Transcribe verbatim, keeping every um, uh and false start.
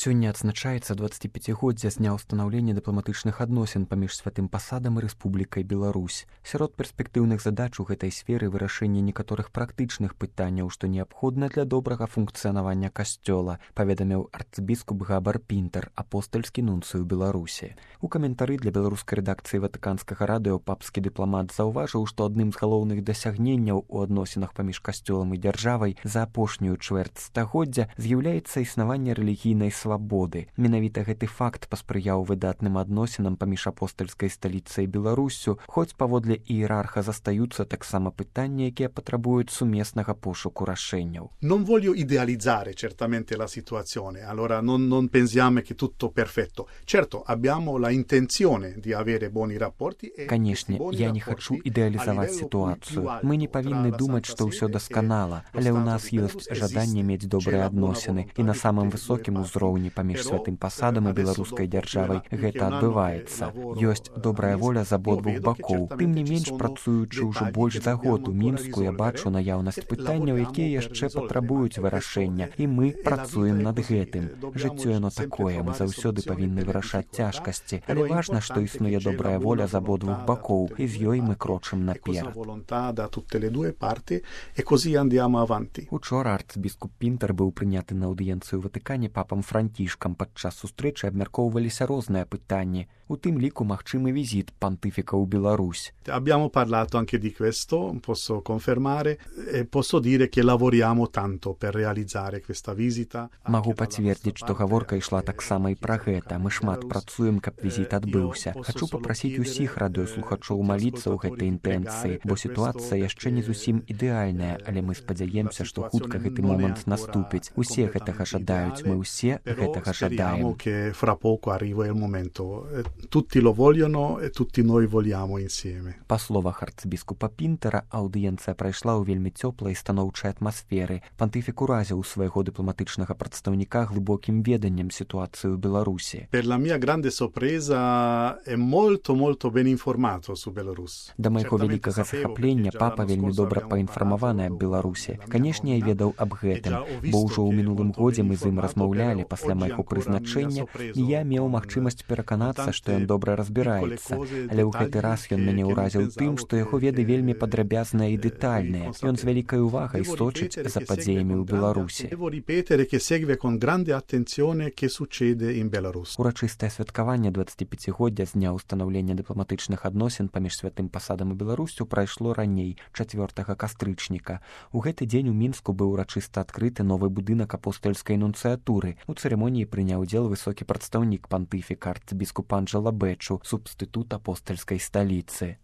Сёння адзначаецца дваццаціпяцігоддзе з дня ўстанаўлення дыпламатычных адносін паміж святым пасадам і Рэспублікай Беларусь. Сярод перспектыўных задач у гэтай сферы вырашэнне некаторых практычных пытанняў, што неабходна для добрага функцыянавання касцёла, паведаміў арцыбіскуп Габар Пінтер, апостальскі нунцый у Беларусі. У каментары для беларускай рэдакцыі Ватыканскага радыё папскі дыпламат заўважыў, што адным з галоўных дасягненняў у адносінах паміж касцёлам і дзяржавай за апошнюю чвэрць стагоддзя з'яўляецца існаванне рэлігійнай свабоды. Менавіта гэты факт паспрыяў выдатным адносінам паміж апостальскай сталіцай і Беларуссю, хоць паводле іерарха застаюцца таксама пытанні, якія патрабуюць сумеснага пошуку рашэнняў. Non voglio idealizzare certamente la situazione, allora non, non pensiamo che tutto perfetto. Certo, abbiamo la intenzione di avere buoni rapporti. Канешне, я не хачу ідэалізаваць сітуацыю. Мы не павінны думаць, што ўсё дасканала, але ў нас ёсць жаданне мець добрыя адносіны, і на самым высокім узроўні паміж святым пасадам і беларускай дзяржавай гэта адбываецца. Ёсць добрая воля з абодвух бакоў. Тым не менш, працуючы ўжо больш за год у Мінску, я бачу наяўнасць пытанняў, якія яшчэ патрабуюць вырашэння, і мы працуем над гэтым. Жыццё яно такое, мы заўсёды павінны вырашаць цяжкасці, але важна, што існуе добрая воля з абодвух бакоў, і з ёй мы крочым наперад. Учора арцыбіскуп Пінтер быў прыняты на аўдыенцыю ў Ватыкане папам Францішкам. Падчас сустрэчы абмяркоўваліся розныя пытанні, у тым ліку магчымы візіт пантыфіка ў Беларусь. Abbiamo parlato anche di questo, posso confermare e posso dire che lavoriamo tanto per realizzare questa visita. Магу пацвердзіць, што гаворка ішла таксама і пра гэта. Мы шмат працуем, каб візіт адбыўся. Хачу папрасіць усіх радыёслухачоў маліцца ў гэтай інтэнцыі, бо сітуацыя яшчэ не зусім ідэальная, але мы спадзяемся, што хутка гэты момант наступіць. Усе гэтага жадаюць, мы ўсе гэтага жадаем. Fra poco arriva il momento. Tutti lo vogliono e tutti noi vogliamo insieme. Па словах арцыбіскупа Пінтера, аўдыенцыя прайшла ў вельмі цёплай і станоўчай атмасферы. Пантыфік уразіў свайго дыпламатычнага прадстаўніка глыбокім веданнем сітуацыі ў Беларусі. Per la mia grande sorpresa è molto molto ben informato su Belarus. Да майго вялікага захаплення папа вельмі добра паінфармаваны аб Беларусі. Канешне, я ведаў аб гэтым, бо ўжо ў мінулым годзе мы з ім размаўлялі пасля майго прызначэння, і я меў магчымасць пераканацца, што ён добра разбіраецца. Але ў гэты раз ён мяне ўразіў тым, што яго веды вельмі падрабязныя і дэтальныя. Ён з вялікай увагай сочыць за падзеямі ў Беларусі. Урачыстае святкаванне дваццаціпяцігоддзя з дня ўстанаўлення дыпламатычных адносін паміж святым пасадам і Беларуссю прайшло раней, чацвёртага кастрычніка. У гэты дзень у Мінску быў урачыста адкрыты новы будынак апостальскай нунцыятуры. У цырымоніі прыняў удзел высокі прадстаўнік пантыфіка арцыбіскуп Анджела Бэчу, субстытут апостальскай сталіцы.